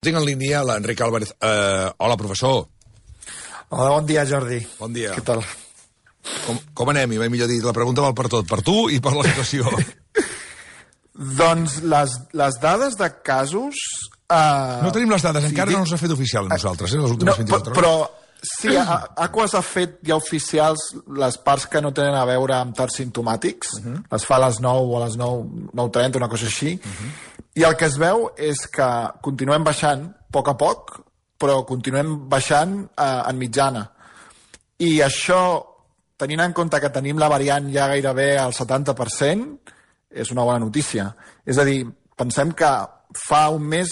Tinc en línia l'Enric Álvarez. Hola, professor. Hola, bon dia, Jordi. Bon dia. Què tal? Com anem? I va millor dir, la pregunta val per tot, per tu i per la situació. Doncs les dades de casos... No tenim les dades, encara no ens ha fet oficial a nosaltres, les últimes 24 hores. Però sí, Aquas ha fet ja oficials les parts que no tenen a veure amb tards simptomàtics. Les fa a les 9 o a les 9:30, una cosa així. I el que es veu és que continuem baixant a poc, però continuem baixant en mitjana. I això, tenint en compte que tenim la variant ja gairebé al 70%, és una bona notícia. És a dir, pensem que fa un mes,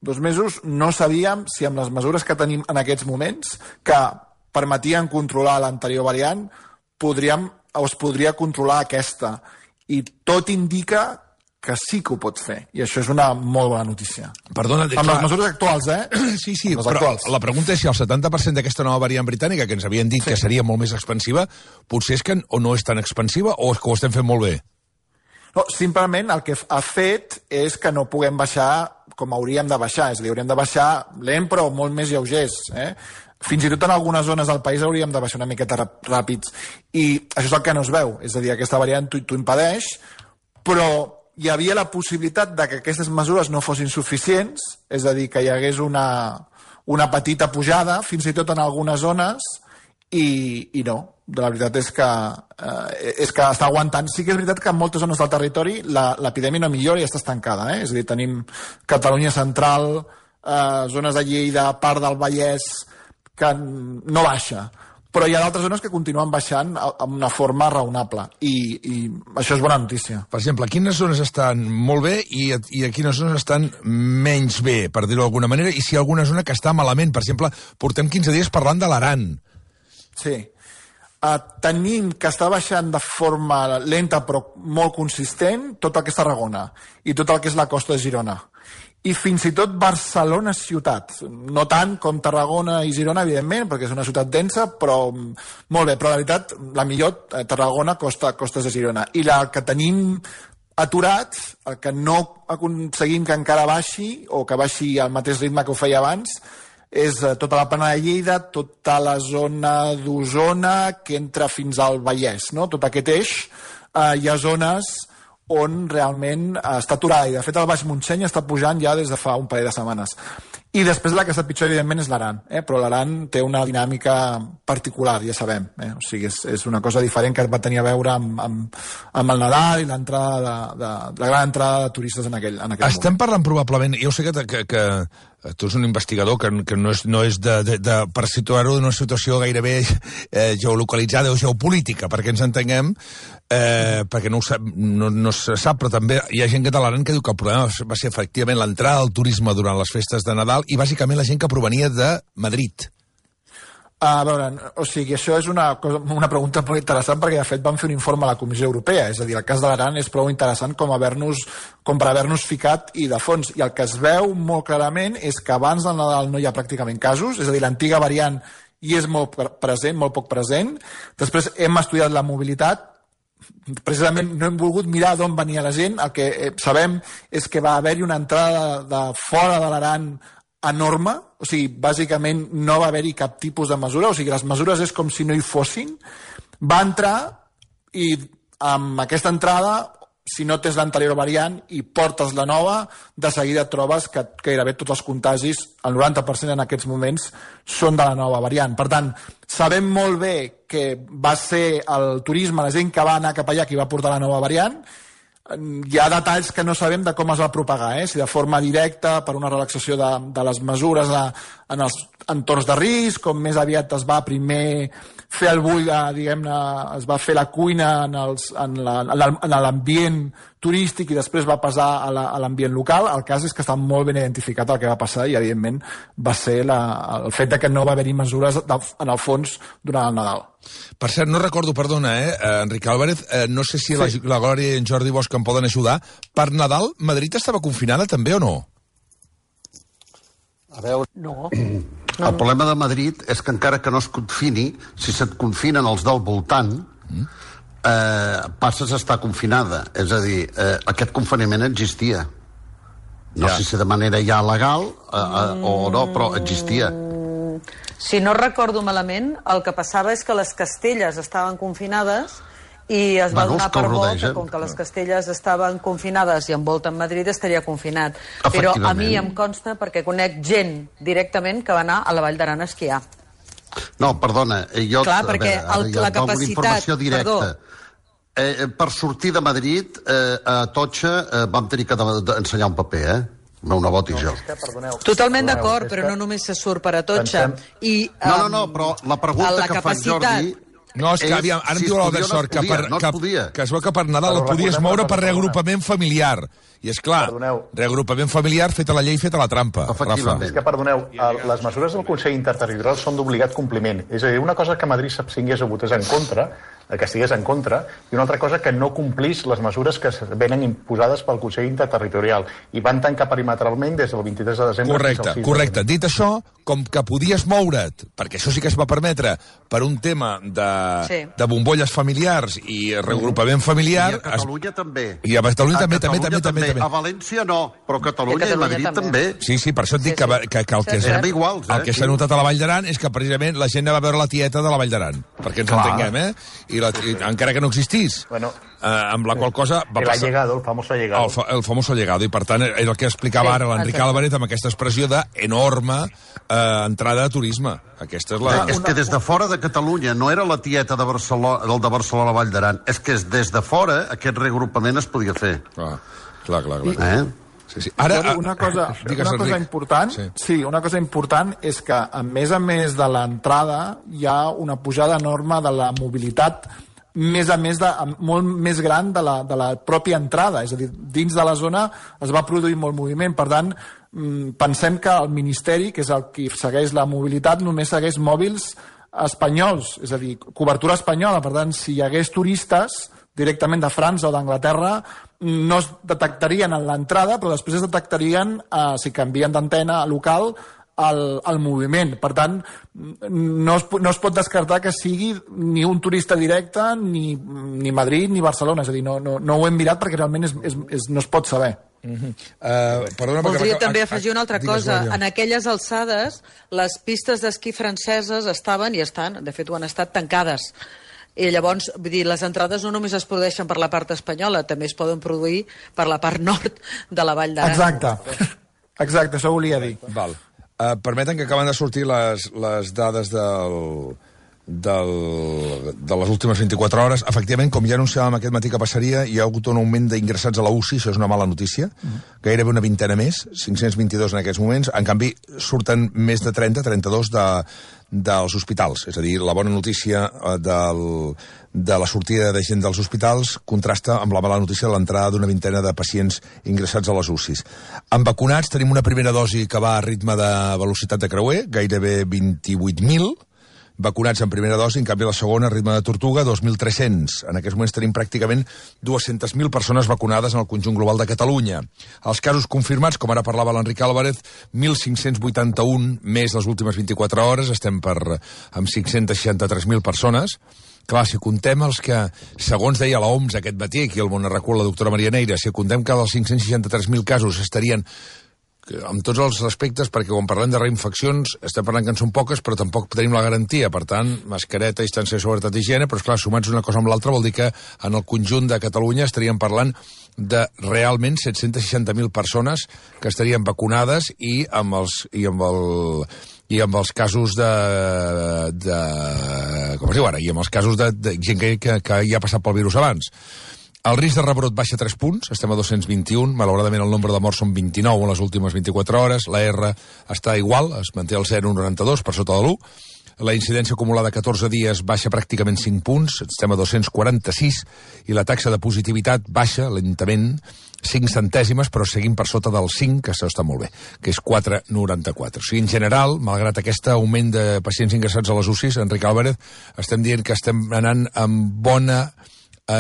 2 mesos, no sabíem si amb les mesures que tenim en aquests moments, que permetien controlar l'anterior variant, es podria controlar aquesta. I tot indica que sí que ho pot fer. I això és una molt bona notícia. Perdona, amb les mesures actuals, Sí, però la pregunta és si el 70% d'aquesta nova variant britànica, que ens havien dit que seria molt més expansiva, potser és que o no és tan expansiva o és que ho estem fent molt bé? No, simplement el que ha fet és que no puguem baixar com hauríem de baixar. És a dir, hauríem de baixar lent però molt més lleugers. Fins i tot en algunes zones del país hauríem de baixar una miqueta ràpids. I això és el que no es veu. És a dir, aquesta variant t'ho impedeix, però hi havia la possibilitat de que aquestes mesures no fossin suficients, és a dir, que hi hagués una petita pujada, fins i tot en algunes zones, i no. La veritat és que està aguantant. Sí que és veritat que en moltes zones del territori l'epidèmia no millora i està estancada. És a dir, tenim Catalunya central, zones de Lleida, part del Vallès, que no baixa. Però hi ha d'altres zones que continuen baixant amb una forma raonable. I això és bona notícia. Per exemple, quines zones estan molt bé i a quines zones estan menys bé, per dir-ho d'alguna manera, i si hi ha alguna zona que està malament? Per exemple, portem 15 dies parlant de l'Aran. Sí. Tenim que està baixant de forma lenta però molt consistent tot el que és Tarragona i tot el que és la costa de Girona. I fins i tot Barcelona ciutat. No tant com Tarragona i Girona, evidentment, perquè és una ciutat densa, però molt bé. Però la veritat, la millor, Tarragona, costes de Girona. I el que tenim aturat, el que no aconseguim que encara baixi, o que baixi al mateix ritme que ho feia abans, és tota la plana de Lleida, tota la zona d'Osona, que entra fins al Vallès, no? Tot aquest eix. Hi ha zones on realment està aturada, i de fet el Baix Montseny està pujant ja des de fa un parell de setmanes. I després la que està pitjor, evidentment, és l'Aran, però l'Aran té una dinàmica particular, ja sabem. O sigui, és una cosa diferent que va tenir a veure amb el Nadal i la gran entrada de turistes en aquell moment. Estem parlant probablement, jo sé que tu ets un investigador que no és per situar-ho en una situació gairebé geolocalitzada o geopolítica, perquè ens entenguem, perquè no se sap, però també hi ha gent catalana que diu que el problema va ser efectivament l'entrada del turisme durant les festes de Nadal i bàsicament la gent que provenia de Madrid. A veure, o sigui, això és una pregunta molt interessant perquè de fet van fer un informe a la Comissió Europea, és a dir, el cas de l'Aran és prou interessant com per haver-nos ficat i de fons, i el que es veu molt clarament és que abans del Nadal no hi ha pràcticament casos, és a dir, l'antiga variant hi és molt present, molt poc present. Després hem estudiat la mobilitat, precisament no hem volgut mirar d'on venia la gent, el que sabem és que va haver-hi una entrada de fora de l'Aran enorme, o sigui, bàsicament no va haver-hi cap tipus de mesura, o sigui, les mesures és com si no hi fossin. Va entrar i amb aquesta entrada, si no tens l'anterior variant i portes la nova, de seguida trobes que gairebé tots els contagis, el 90% en aquests moments, són de la nova variant. Per tant, sabem molt bé que va ser el turisme, la gent que va anar cap allà, qui va portar la nova variant. Hi ha detalls que no sabem de com es va propagar, si de forma directa, per una relaxació de les mesures en els entorns de risc, com més aviat es va primer fer el bull, diguem-ne, es va fer la cuina en l'ambient turístic i després va passar a l'ambient local. El cas és que està molt ben identificat el que va passar i, evidentment, va ser el fet que no va haver-hi mesures en el fons durant el Nadal. Per cert, no recordo, perdona, Enric Álvarez, no sé si la Glòria i en Jordi Bosch em poden ajudar. Per Nadal, Madrid estava confinada també o no? A veure... No. El problema de Madrid és que encara que no es confini, si se't confinen els del voltant, passes a estar confinada. És a dir, aquest confinament existia. No sé si de manera ja legal o no, però existia. Si no recordo malament, el que passava és que les Castelles estaven confinades i es va donar per bo que com que les Castelles estaven confinades i envolten Madrid estaria confinat. Però a mi em consta, perquè conec gent directament que va anar a la Vall d'Aran a esquiar. No, perdona, jo... Clar, perquè la capacitat... Informació directa. Per sortir de Madrid, a Atocha vam tenir que ensenyar un paper, meu nebot i jo. Totalment d'acord, però no només se surt per Atocha. No, però la pregunta que fa en Jordi... No, és que aviam, ara em diu l'Albert Sort que es veu que per Nadal et podies moure per reagrupament familiar. I és clar, reagrupament familiar feta la llei, feta la trampa. Efectivament. És que, perdoneu, les mesures del Consell Interterritorial són d'obligat compliment. És a dir, una cosa que Madrid s'abstingués o votés en contra, que estigués en contra, i una altra cosa que no complís les mesures que venen imposades pel Consell Interterritorial. I van tancar perimetralment des del 23 de desembre. Correcte. Dit això, com que podies moure't, perquè això sí que es va permetre, per un tema de bombolles familiars i reagrupament familiar... I a Catalunya també. I a Catalunya també. A València no, però a Catalunya i Madrid també. Sí, per això et dic que el que s'ha notat a la Vall d'Aran és que precisament la gent va veure la tieta de la Vall d'Aran, perquè ens entenguem, I encara que no existís. Amb la qual cosa va passar... El famoso llegado. El famoso llegado, i per tant era el que explicava ara l'Enric Álvarez amb aquesta expressió d'enorme entrada de turisme. Aquesta és la... És que des de fora de Catalunya no era la tieta de Barcelona, del de Barcelona Vall d'Aran, és que des de fora aquest reagrupament es podia fer. Clar. Sí. Ara, una cosa important és que, a més de l'entrada, hi ha una pujada enorme de la mobilitat molt més gran de la pròpia entrada. És a dir, dins de la zona es va produir molt moviment. Per tant, pensem que el Ministeri, que és el qui segueix la mobilitat, només segueix mòbils espanyols, és a dir, cobertura espanyola. Per tant, si hi hagués turistes directament de França o d'Anglaterra, no es detectarien en l'entrada, però després es detectarien, si canvien d'antena local, el moviment. Per tant, no es pot descartar que sigui ni un turista directe, ni Madrid, ni Barcelona. És a dir, no ho hem mirat perquè realment no es pot saber. Voldria també afegir una altra cosa. En aquelles alçades, les pistes d'esquí franceses estaven i estan, de fet ho han estat, tancades. I llavors, vull dir, les entrades no només es produeixen per la part espanyola, també es poden produir per la part nord de la Vall d'Aran. Exacte, això volia dir. Val. Permeten que acaben de sortir les dades de les últimes 24 hores. Efectivament, com ja anunciàvem aquest matí que passaria, hi ha hagut un augment d'ingressats a la UCI, això és una mala notícia, gairebé una vintena més, 522 en aquests moments. En canvi, surten més de 32 dels hospitals. És a dir, la bona notícia de la sortida de gent dels hospitals contrasta amb la mala notícia de l'entrada d'una vintena de pacients ingressats a les UCIs. En vacunats tenim una primera dosi que va a ritme de velocitat de creuer, gairebé 28.000, vacunats en primera dosi, en canvi la segona, ritme de tortuga, 2.300. En aquests moments tenim pràcticament 200.000 persones vacunades en el conjunt global de Catalunya. Els casos confirmats, com ara parlava l'Enric Álvarez, 1.581 més les últimes 24 hores, estem amb 563.000 persones. Clar, si comptem els que, segons deia l'OMS aquest matí, aquí al Món Arracú, la doctora Maria Neira, si comptem que dels 563.000 casos estarien amb tots els aspectes, perquè quan parlem de reinfeccions estem parlant que en són poques, però tampoc tenim la garantia. Per tant, mascareta, distància de seguretat i higiene, però esclar, sumats una cosa amb l'altra vol dir que en el conjunt de Catalunya estaríem parlant de realment 760.000 persones que estarien vacunades i amb els casos com es diu ara, i amb els casos de gent que ja ha passat pel virus abans. El risc de rebrot baixa 3 punts, estem a 221, malauradament el nombre de morts són 29 en les últimes 24 hores, la R està igual, es manté al 0,92 per sota de l'1, la incidència acumulada a 14 dies baixa pràcticament 5 punts, estem a 246, i la taxa de positivitat baixa lentament 5 centèsimes, però seguim per sota del 5, que això està molt bé, que és 4,94. O sigui, en general, malgrat aquest augment de pacients ingressats a les UCIs, Enric Álvarez, estem dient que estem anant amb bona...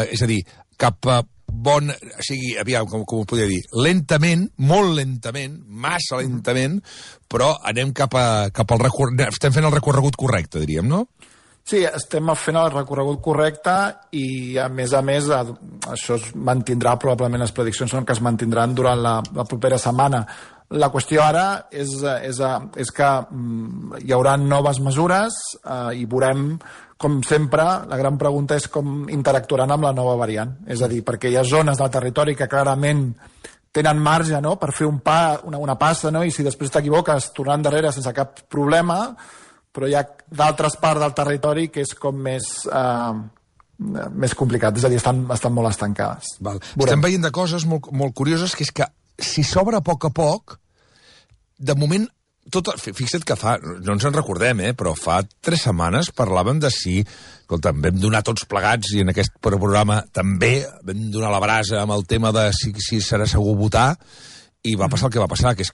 és a dir, cap a bon... O sigui, aviam, com ho podria dir? Lentament, molt lentament, massa lentament, però anem cap al recorregut... Estem fent el recorregut correcte, diríem, no? Sí, estem fent el recorregut correcte i, a més, això es mantindrà, probablement les prediccions són que es mantindran durant la propera setmana. La qüestió ara és que hi haurà noves mesures i veurem, com sempre, la gran pregunta és com interactuaran amb la nova variant. És a dir, perquè hi ha zones del territori que clarament tenen marge, no?, per fer una passa, no?, i si després t'equivoques tornant endarrere sense cap problema, però hi ha d'altres parts del territori que és com més complicat, és a dir, estan molt estancades. Estem veient de coses molt curioses, que és que si s'obre a poc, de moment, fixa't que no ens en recordem, però fa 3 setmanes parlàvem de si, escolta, vam donar tots plegats, i en aquest programa també vam donar la brasa amb el tema de si serà segur votar, i va passar el que va passar, que és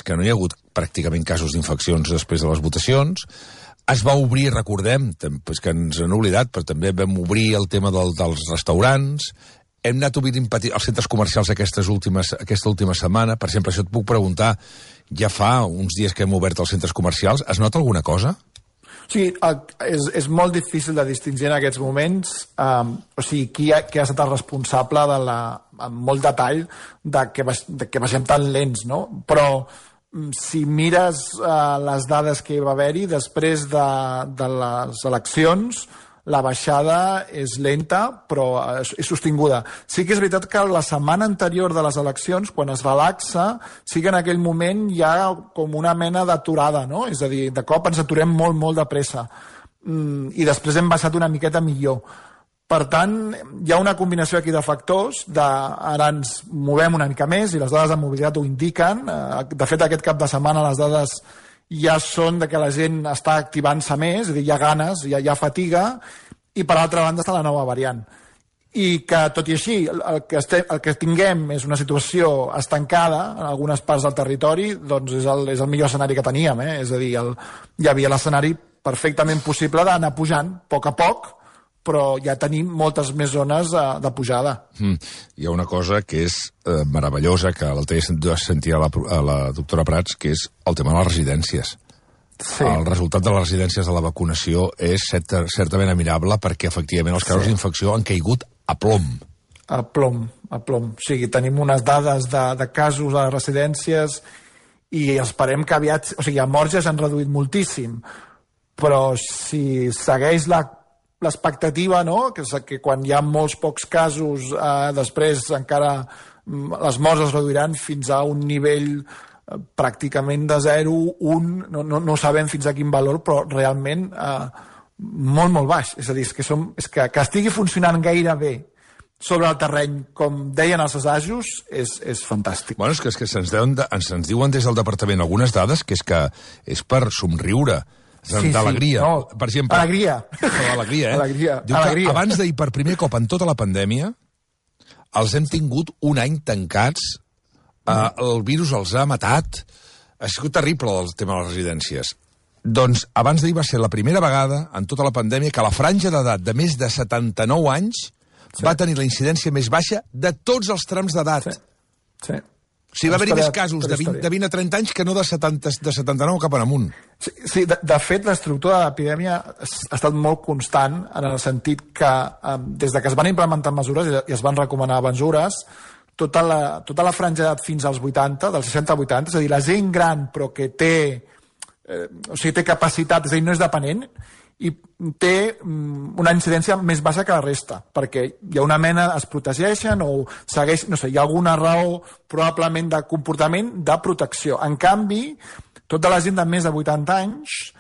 que no hi ha hagut pràcticament casos d'infeccions després de les votacions. Es va obrir, recordem, és que ens han oblidat, però també vam obrir el tema dels restaurants. Hem anat obrint els centres comercials aquesta última setmana. Per exemple, això et puc preguntar, ja fa uns dies que hem obert els centres comercials, es nota alguna cosa? Sí, és molt difícil de distingir en aquests moments, o sigui, qui ha estat el responsable amb molt detall de que baixem tan lents, no? Però si mires les dades que hi va haver-hi després de les eleccions, la baixada és lenta, però és sostinguda. Sí que és veritat que la setmana anterior de les eleccions, quan es relaxa, sí que en aquell moment hi ha com una mena d'aturada, no? És a dir, de cop ens aturem molt de pressa. I després hem baixat una miqueta millor. Per tant, hi ha una combinació aquí de factors, ara ens movem una mica més, i les dades de mobilitat ho indiquen. De fet, aquest cap de setmana les dades ja són de que la gent està activant-se més, és a dir, hi ha ganes, hi ha fatiga, i per altra banda està la nova variant. I que, tot i així, el que tinguem és una situació estancada en algunes parts del territori, doncs és el millor escenari que teníem, és a dir, hi havia l'escenari perfectament possible d'anar pujant a poc, però ja tenim moltes més zones de pujada. Hi ha una cosa que és meravellosa, que l'altre dia sentia a la doctora Prats, que és el tema de les residències. Sí. El resultat de les residències de la vacunació és certament admirable, perquè efectivament els casos d'infecció han caigut a plom. A plom. O sigui, tenim unes dades de casos a les residències i esperem que aviat... O sigui, a morts ja s'han reduït moltíssim, però si segueix l'expectativa, no?, que quan hi ha molts pocs casos, després encara les morts es reduiran fins a un nivell pràcticament de 0, 1, no sabem fins a quin valor, però realment molt baix. És a dir, és que estigui funcionant gairebé sobre el terreny, com deien els assajos, és fantàstic. Bueno, és que se'ns diuen des del departament algunes dades que és per somriure. D'alegria. No, per exemple, alegria, Diu que abans d'ahir, per primer cop en tota la pandèmia, els hem tingut un any tancats, el virus els ha matat, ha sigut terrible el tema de les residències. Doncs abans d'ahir va ser la primera vegada en tota la pandèmia que la franja d'edat de més de 79 anys va tenir la incidència més baixa de tots els trams d'edat. Sí. O sigui, va haver-hi més casos de 20 a 30 anys que no de 79 cap en amunt. Sí, de fet, l'estructura de l'epidèmia ha estat molt constant en el sentit que des de que es van implementar mesures i es van recomanar mesures, tota la franja d'edat fins als 80, dels 60 a 80, és a dir, la gent gran però que té capacitat, és a dir, no és dependent, i té una incidència més baixa que la resta, perquè hi ha una mena, es protegeixen o segueix, no sé, hi ha alguna raó probablement de comportament de protecció. En canvi, tota la gent de més de 80 anys,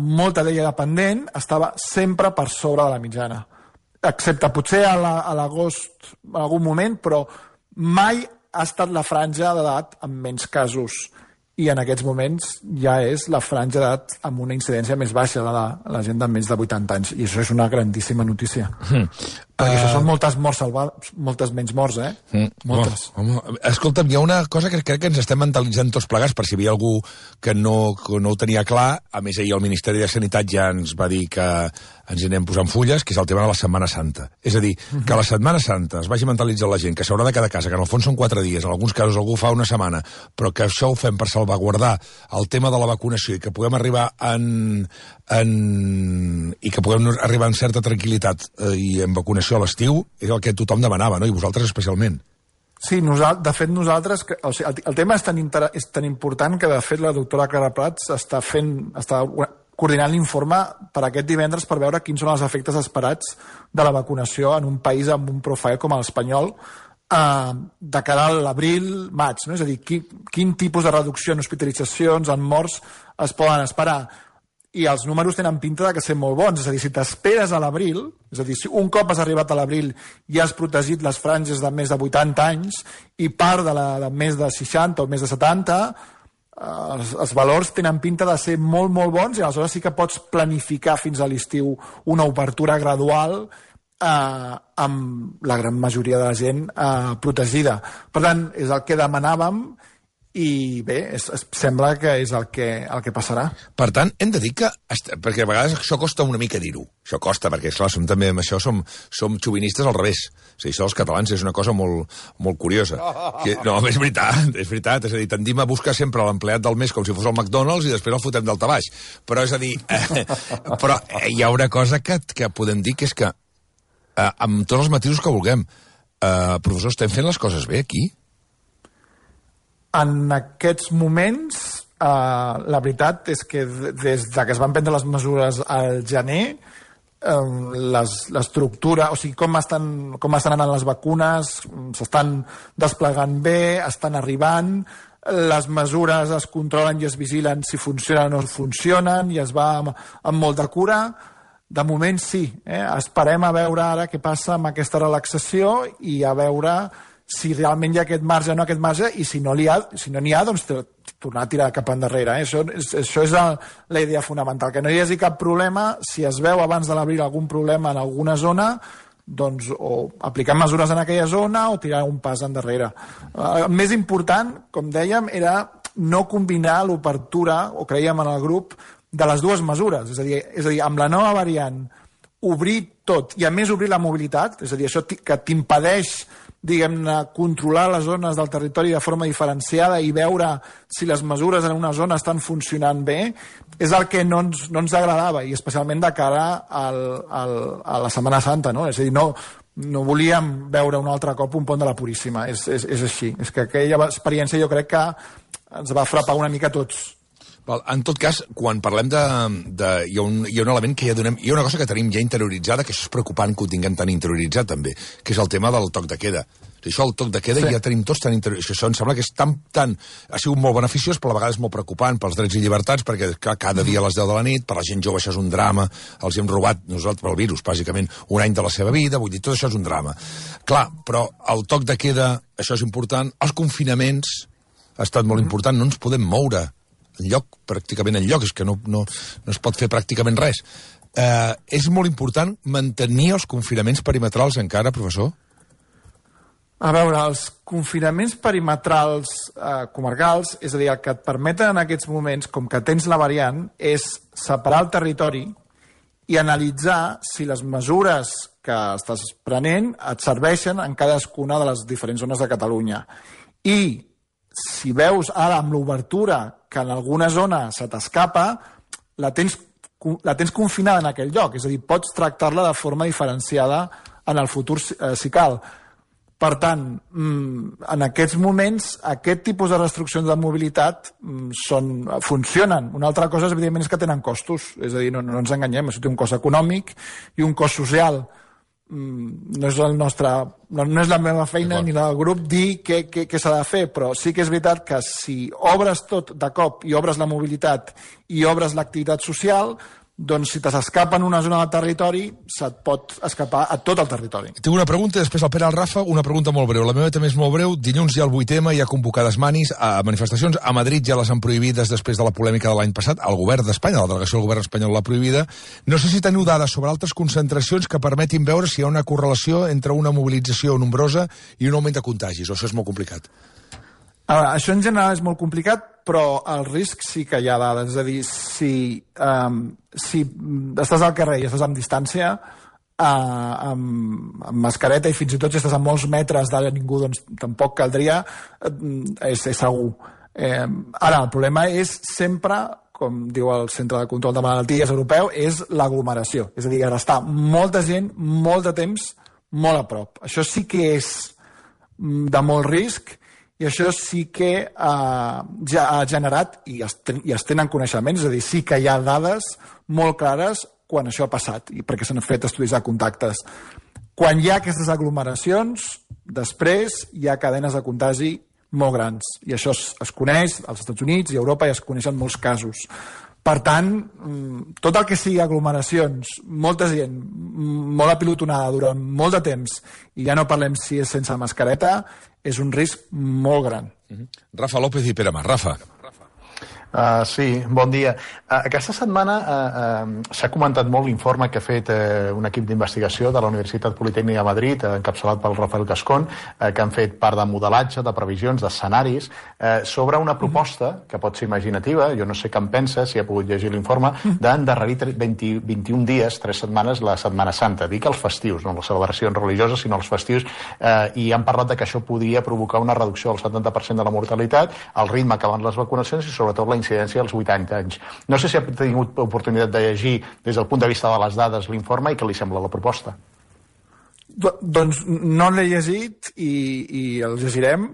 molta d'ella dependent, estava sempre per sobre de la mitjana. Excepte potser a l'agost en algun moment, però mai ha estat la franja d'edat amb menys casos. I en aquests moments ja és la franja d'edat amb una incidència més baixa de la gent de més de 80 anys. I això és una grandíssima notícia. Perquè això són moltes morts salvades, moltes menys morts, Moltes. Home, escolta'm, hi ha una cosa que crec que ens estem mentalitzant tots plegats, per si hi havia algú que no ho tenia clar. A més, ahir el Ministeri de Sanitat ja ens va dir que ens hi anem posant fulles, que és el tema de la Setmana Santa. És a dir, que a la Setmana Santa es vagi mentalitzant la gent que s'haurà de quedar a casa, que en el fons són 4 dies, en alguns casos algú fa una setmana, però que això ho fem per salvaguardar el tema de la vacunació i que puguem arribar en certa tranquil·litat i en vacunació a l'estiu, és el que tothom demanava, no? I vosaltres especialment. Sí, de fet nosaltres... El tema és tan important que de fet la doctora Clara Prats està coordinant l'informe per aquest divendres per veure quins són els efectes esperats de la vacunació en un país amb un profile com l'espanyol de cara a l'abril, maig, no? És a dir, quin tipus de reducció en hospitalitzacions, en morts es poden esperar. I els números tenen pinta de que ser molt bons. És a dir, si t'esperes a l'abril, és a dir, si un cop has arribat a l'abril i has protegit les franges de més de 80 anys i part de més de 60 o més de 70, els valors tenen pinta de ser molt, molt bons i aleshores sí que pots planificar fins a l'estiu una obertura gradual amb la gran majoria de la gent protegida. Per tant, és el que demanàvem i bé, sembla que és el que passarà. Per tant, hem de dir que... Perquè a vegades això costa una mica dir-ho. Això costa, perquè, esclar, també amb això som xovinistes al revés. O sigui, això dels catalans és una cosa molt, molt curiosa. No, és veritat. És a dir, tendim a buscar sempre l'empleat del mes com si fos el McDonald's i després el fotem del tabaix. Però és a dir... però hi ha una cosa que podem dir, que és que amb tots els matisos que vulguem, professor, estem fent les coses bé aquí? En aquests moments, la veritat és que des que es van prendre les mesures al gener, l'estructura, o sigui, com estan anant les vacunes, s'estan desplegant bé, estan arribant, les mesures es controlen i es vigilen si funcionen o no funcionen, i es va amb molt de cura. De moment sí, esperem a veure ara què passa amb aquesta relaxació i a veure si realment hi ha aquest marge o no aquest marge, i si no n'hi ha, doncs tornar a tirar cap endarrere. Això és la idea fonamental, que no hi hagi cap problema. Si es veu abans de l'abril algun problema en alguna zona, doncs o aplicar mesures en aquella zona o tirar un pas endarrere. El més important, com dèiem, era no combinar l'obertura, o creiem en el grup, de les dues mesures. És a dir, amb la nova variant, obrir tot i a més obrir la mobilitat, és a dir, això que t'impedeix, diguem-ne, controlar les zones del territori de forma diferenciada i veure si les mesures en una zona estan funcionant bé, és el que no ens agradava, i especialment de cara a la Setmana Santa, no? És a dir, no volíem veure un altre cop un pont de la Puríssima. És així. És que aquella experiència jo crec que ens va frapar una mica a tots. En tot cas, quan parlem hi ha un element que ja donem... Hi ha una cosa que tenim ja interioritzada, que això és preocupant que ho tinguem tan interioritzat també, que és el tema del toc de queda. Això, el toc de queda, sí. Ja tenim tots tan interioritzat. Això em sembla que és ha sigut molt beneficiós, però a vegades molt preocupant pels drets i llibertats, perquè cada dia a les 10 de la nit, per la gent jove això és un drama, els hem robat nosaltres pel virus, bàsicament, un any de la seva vida, vull dir, tot això és un drama. Clar, però el toc de queda, això és important, els confinaments ha estat molt important, no ens podem moure pràcticament enlloc, és que no es pot fer pràcticament res. És molt important mantenir els confinaments perimetrals encara, professor? A veure, els confinaments perimetrals comarcals, és a dir, el que et permeten en aquests moments, com que tens la variant, és separar el territori i analitzar si les mesures que estàs prenent et serveixen en cadascuna de les diferents zones de Catalunya. I si veus ara amb l'obertura que en alguna zona se t'escapa, la tens confinada en aquell lloc. És a dir, pots tractar-la de forma diferenciada en el futur si cal. Per tant, en aquests moments, aquest tipus de restriccions de mobilitat funcionen. Una altra cosa, evidentment, és que tenen costos. És a dir, no ens enganyem, això té un cost econòmic i un cost social. No és la meva feina ni la del grup dir què s'ha de fer, però sí que és veritat que si obres tot de cop i obres la mobilitat i obres l'activitat social, doncs si te s'escapa en una zona del territori, se't pot escapar a tot el territori. Tinc una pregunta, després el Pere, el Rafa, una pregunta molt breu. La meva també és molt breu. Dilluns hi ha el 8M, hi ha convocades manifestacions. A Madrid ja les han prohibides després de la polèmica de l'any passat. El govern d'Espanya, la delegació del govern espanyol l'ha prohibida. No sé si teniu dades sobre altres concentracions que permetin veure si hi ha una correlació entre una mobilització nombrosa i un augment de contagis, o això és molt complicat. Això en general és molt complicat, però el risc sí que hi ha dades. És a dir, si estàs al carrer i estàs amb distància, amb mascareta, i fins i tot si estàs a molts metres de ningú, doncs tampoc caldria, és segur. Ara, el problema és sempre, com diu el Centre de Control de Malalties Europeu, és l'aglomeració. És a dir, estar molta gent, molt de temps, molt a prop. Això sí que és de molt risc, i això sí que ja ha generat, i es tenen coneixements, és a dir, sí que hi ha dades molt clares quan això ha passat, i perquè s'han fet estudis de contactes. Quan hi ha aquestes aglomeracions, després hi ha cadenes de contagi molt grans, i això es coneix als Estats Units i a Europa, i es coneixen molts casos. Per tant, tot el que sigui aglomeracions, molta gent, molt apilotonada durant molt de temps, i ja no parlem si és sense mascareta, és un risc molt gran. Rafa López i Pere Mas. Rafa. Sí, bon dia. Aquesta setmana s'ha comentat molt l'informe que ha fet un equip d'investigació de la Universitat Politècnica de Madrid, encapçalat pel Rafael Cascón, que han fet part de modelatge, de previsions, d'escenaris, sobre una proposta que pot ser imaginativa, jo no sé què en pensa, si ha pogut llegir l'informe, d'endarrerir 21 dies, 3 setmanes, la Setmana Santa. Dic els festius, no les celebracions religioses, sinó els festius, i han parlat de que això podria provocar una reducció del 70% de la mortalitat, el ritme que van les vacunacions i sobretot la incidència als 80 anys. No sé si ha tingut oportunitat de llegir des del punt de vista de les dades l'informe i què li sembla la proposta. Doncs no l'he llegit i el llegirem,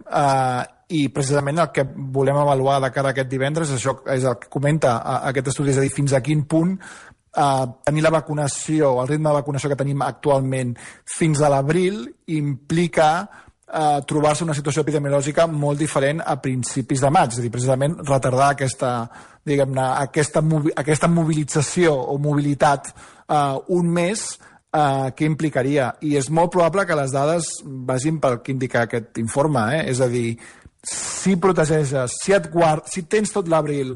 i precisament el que volem avaluar de cara a aquest divendres això és el que comenta aquest estudi, és a dir, fins a quin punt tenir la vacunació, el ritme de vacunació que tenim actualment fins a l'abril implica trobar-se una situació epidemiològica molt diferent a principis de maig, és a dir, precisament retardar aquesta mobilització o mobilitat un mes, què implicaria? I és molt probable que les dades vagin pel que indica aquest informe, és a dir, si protegeixes, si tens tot l'abril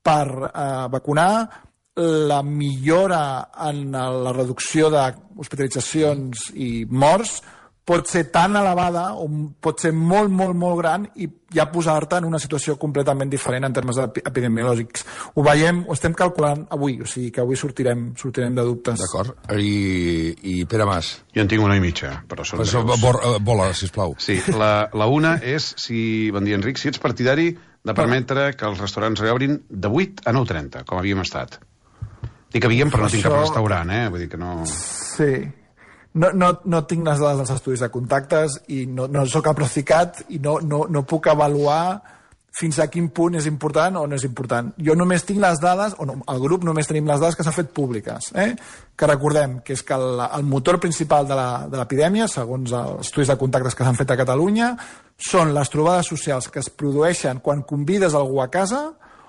per vacunar, la millora en la reducció d'hospitalitzacions i morts pot ser tan elevada o pot ser molt, molt, molt gran i ja posar-te en una situació completament diferent en termes epidemiològics. Ho veiem, ho estem calculant avui, o sigui que avui sortirem de dubtes. D'acord. I Pere Mas? Jo en tinc una i mitja, però són Vola, sisplau. Sí, la una és, bon dia Enric, si ets partidari de permetre que els restaurants reobrin de 8 a 9:30, com havíem estat. Dic havíem, però no tinc cap restaurant, vull dir que no... Sí. No tinc les dades dels estudis de contactes i no soc el Procicat i no puc avaluar fins a quin punt és important o no és important. Jo només tinc les dades, o no, el grup només tenim les dades que s'han fet públiques, que recordem que és que el motor principal de l'epidèmia, segons els estudis de contactes que s'han fet a Catalunya, són les trobades socials que es produeixen quan convides algú a casa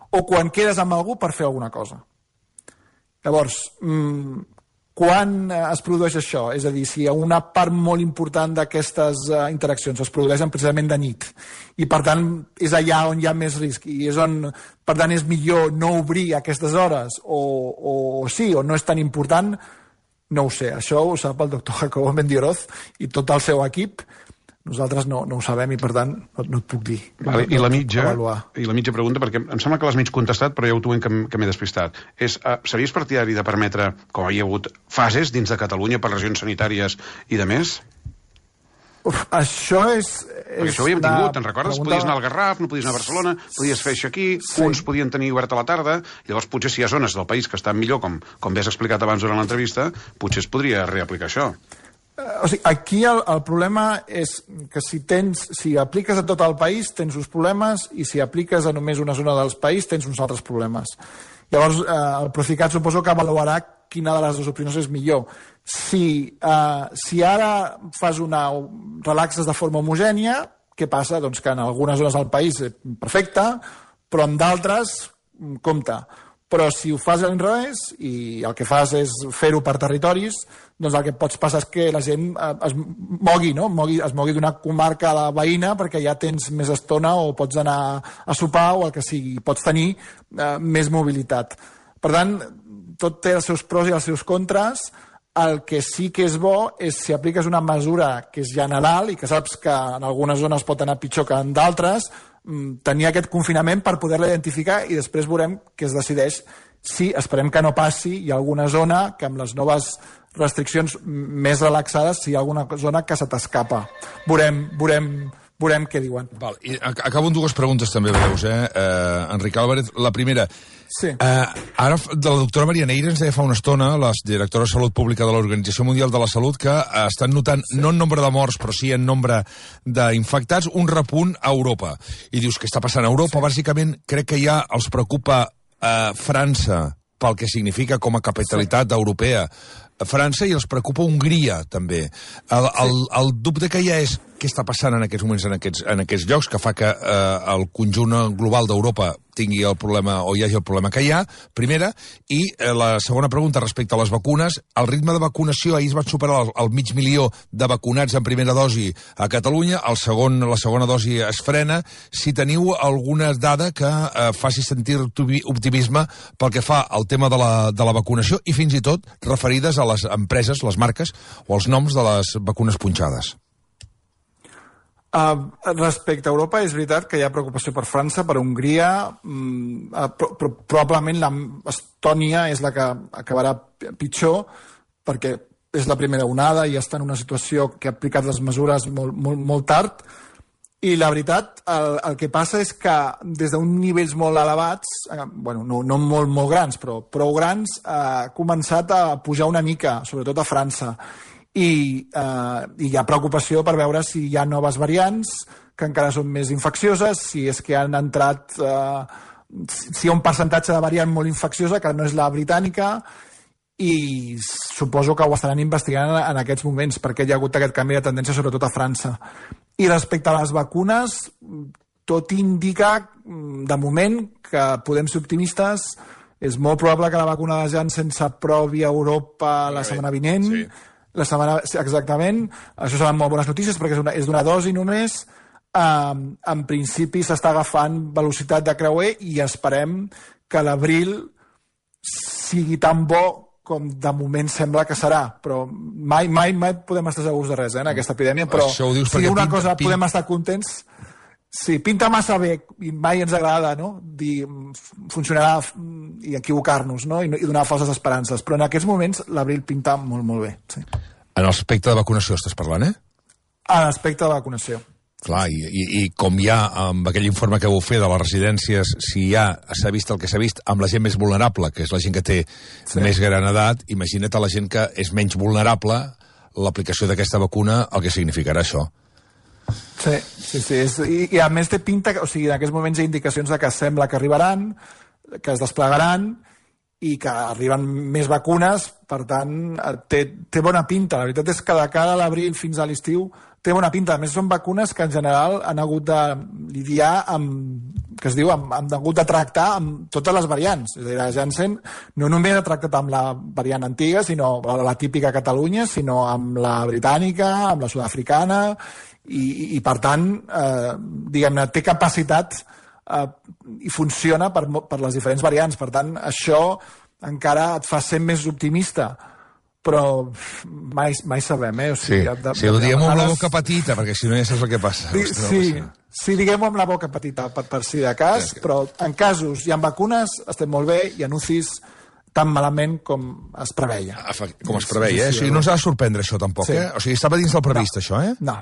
o quan quedes amb algú per fer alguna cosa. Llavors, quan es produeix això? És a dir, si una part molt important d'aquestes interaccions es produeixen precisament de nit i, per tant, és allà on hi ha més risc i és on, per tant, és millor no obrir a aquestes hores o sí, o no és tan important, no ho sé. Això ho sap el doctor Jacobo Mendioroz i tot el seu equip. Nosaltres no ho sabem i, per tant, no et puc dir. I la mitja pregunta, perquè em sembla que l'has mig contestat, però ja ho tuem que m'he despistat. Series partidari de permetre, com hi ha hagut fases dins de Catalunya per regions sanitàries i de més? Això és... Perquè això ho havíem tingut, te'n recordes? Podies anar al Garraf, no podies anar a Barcelona, podies fer això aquí, uns podien tenir obert a la tarda, llavors potser si hi ha zones del país que estan millor, com bé has explicat abans durant l'entrevista, potser es podria reaplicar això. O sigui, aquí el problema és que si apliques a tot el país tens uns problemes i si apliques a només una zona del país tens uns altres problemes. Llavors, el Procicat suposo que avaluarà quina de les dues opcions és millor. Si ara relaxes de forma homogènia, què passa? Doncs que en algunes zones del país perfecte, però en d'altres, compte, Però si ho fas a l'inrevés i el que fas és fer-ho per territoris, doncs el que pots passar és que la gent es mogui, no? Es mogui d'una comarca a la veïna perquè ja tens més estona o pots anar a sopar o el que sigui. Pots tenir més mobilitat. Per tant, tot té els seus pros i els seus contres. El que sí que és bo és si apliques una mesura que és general i que saps que en algunes zones pot anar pitjor que en d'altres, tenir aquest confinament per poder-la identificar i després veurem què es decideix. Sí, esperem que no passi, hi ha alguna zona que amb les noves restriccions més relaxades, si hi ha alguna zona que se t'escapa. Veurem què diuen. Val, i acabo amb dues preguntes també breus, Enric Álvarez. La primera, sí. Ara de la doctora Maria Neira ens deia fa una estona, la directora de Salut Pública de l'Organització Mundial de la Salut, que estan notant, no en nombre de morts, però sí en nombre d'infectats, un repunt a Europa. I dius, què està passant a Europa? Bàsicament, crec que ja els preocupa França pel que significa com a capitalitat europea França i els preocupa Hongria també. El dubte que hi ha és què està passant en aquests moments en aquests llocs que fa que el conjunt global d'Europa tingui el problema o hi hagi el problema que hi ha, primera, i la segona pregunta respecte a les vacunes. El ritme de vacunació, ahir es va superar el 500.000 de vacunats en primera dosi a Catalunya, la segona dosi es frena. Si teniu alguna dada que faci sentir optimisme pel que fa al tema de la vacunació i fins i tot referides a les empreses, les marques o els noms de les vacunes punxades. Respecte a Europa, és veritat que hi ha preocupació per França, per Hongria, però probablement Estònia és la que acabarà pitjor, perquè és la primera onada i està en una situació que ha aplicat les mesures molt tard, i la veritat, el que passa és que des d'uns nivells molt elevats, no molt grans, però prou grans, ha començat a pujar una mica, sobretot a França. I hi ha preocupació per veure si hi ha noves variants que encara són més infeccioses, si és que han entrat si hi ha un percentatge de variant molt infecciosa que no és la britànica, i suposo que ho estaran investigant en aquests moments perquè hi ha hagut aquest canvi de tendència sobretot a França. I respecte a les vacunes, tot indica de moment que podem ser optimistes. És molt probable que la vacuna de Janssen s'aprovi a Europa la setmana vinent. Sí. Exactament, això seran molt bones notícies perquè és d'una dosi només. En principi s'està agafant velocitat de creuer i esperem que l'abril sigui tan bo com de moment sembla que serà, però mai podem estar segurs de res en aquesta epidèmia, però si una cosa podem estar contents. Sí, pinta massa bé i mai ens agrada, no? Dir funcionarà i equivocar-nos, no? I donar falses esperances, però en aquests moments l'abril pinta molt bé. Sí. En l'aspecte de vacunació estàs parlant, En l'aspecte de vacunació. Clar, i com hi ha amb aquell informe que vau fer de les residències, si s'ha vist el que s'ha vist amb la gent més vulnerable, que és la gent que té més gran edat, imagina't a la gent que és menys vulnerable, l'aplicació d'aquesta vacuna, el que significarà això. Sí. I a més té pinta, o sigui, en aquests moments hi ha indicacions de que sembla que arribaran, que es desplegaran i que arriben més vacunes, per tant, té bona pinta. La veritat és que de cara a l'abril fins a l'estiu té bona pinta. A més, són vacunes que en general han hagut de lidiar amb hagut de tractar amb totes les variants. És a dir, la Janssen no només ha tractat amb la variant antiga, sinó la típica Catalunya, sinó amb la britànica, amb la sud-africana, i per tant, diguem-ne, té capacitat i funciona per les diferents variants. Per tant, això encara et fa ser més optimista, però mai sabem, O sigui, ho diguem amb la boca petita, perquè si no ja saps el que passa. Sí, diguem-ho amb la boca petita, per si de cas, però en casos i en vacunes estem molt bé, i en UCIs tan malament com es preveia. Com es preveia, O sigui, no ens ha de sorprendre això tampoc, O sigui, estava dins del previst, això, No.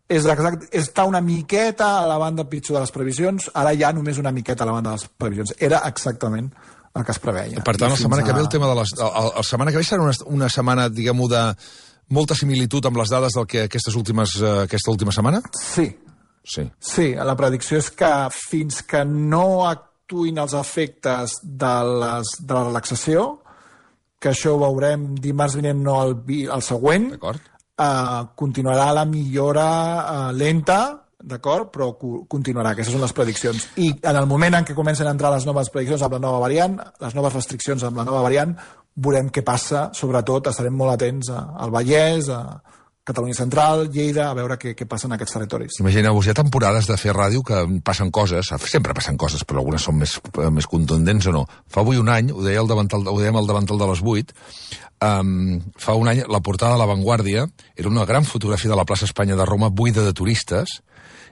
Està una miqueta a la banda pitjor de les previsions, ara ja només una miqueta a la banda de les previsions. Era exactament el que es preveia. Per tant, la setmana que ve el tema de la setmana que ve serà una setmana, diguem-ho, de molta similitud amb les dades del que aquesta última setmana? Sí, la predicció és que fins que no actuïn els efectes de la relaxació, que això ho veurem dimarts vinent, no el següent, d'acord, continuarà la millora lenta d'acord? Però continuarà, aquestes són les prediccions. I en el moment en què comencen a entrar les noves prediccions amb la nova variant, les noves restriccions amb la nova variant, veurem què passa, sobretot estarem molt atents al Vallès, a Catalunya Central, Lleida, a veure què passa en aquests territoris. Imagineu-vos, hi ha temporades de fer ràdio que passen coses, sempre passen coses, però algunes són més contundents o no. Fa avui un any, ho dèiem al davantal de les 8, fa un any la portada de La Vanguardia era una gran fotografia de la plaça Espanya de Roma buida de turistes,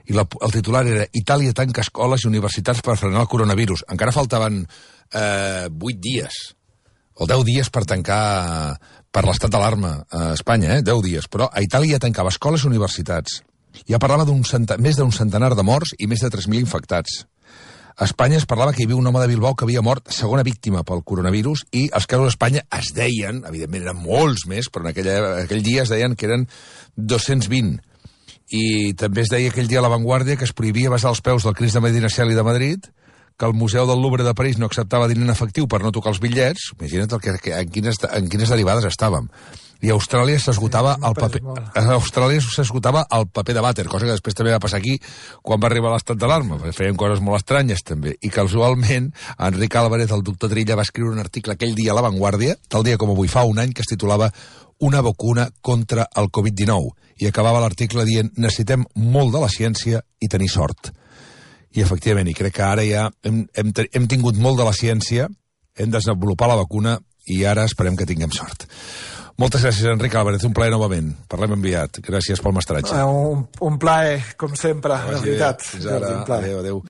i el titular era Itàlia tanca escoles i universitats per frenar el coronavirus. Encara faltaven 8 dies, o 10 dies per tancar per l'estat d'alarma a Espanya, 10 dies. Però a Itàlia tancava escoles i universitats. Ja parlava més d'un centenar de morts i més de 3.000 infectats. A Espanya es parlava que hi havia un home de Bilbao que havia mort segona víctima pel coronavirus i els casos a Espanya es deien, evidentment eren molts més, però en aquell dia es deien que eren 220. I també es deia aquell dia a La Vanguardia que es prohibia besar els peus del Crist de Medina Celi de Madrid, que el Museu del Louvre de París no acceptava diner en efectiu per no tocar els bitllets. Imagina't en quines derivades estàvem. I a Austràlia s'esgotava el paper. A Austràlia s'esgotava el paper de vàter, cosa que després també va passar aquí quan va arribar l'estat d'alarma. Feien coses molt estranyes també. I casualment Enric Álvarez, el doctor Trilla, va escriure un article aquell dia a La Vanguardia, tal dia com avui fa un any, que es titulava Una vacuna contra el Covid-19. I acabava l'article dient necessitem molt de la ciència i tenir sort. I efectivament, i crec que ara ja hem tingut molt de la ciència, hem desenvolupat la vacuna i ara esperem que tinguem sort. Moltes gràcies, Enric Álvarez, un plaer novament. Parlem enviat. Gràcies pel mestratge. Un plaer, com sempre, de veritat. Fins ara. Adéu, adéu.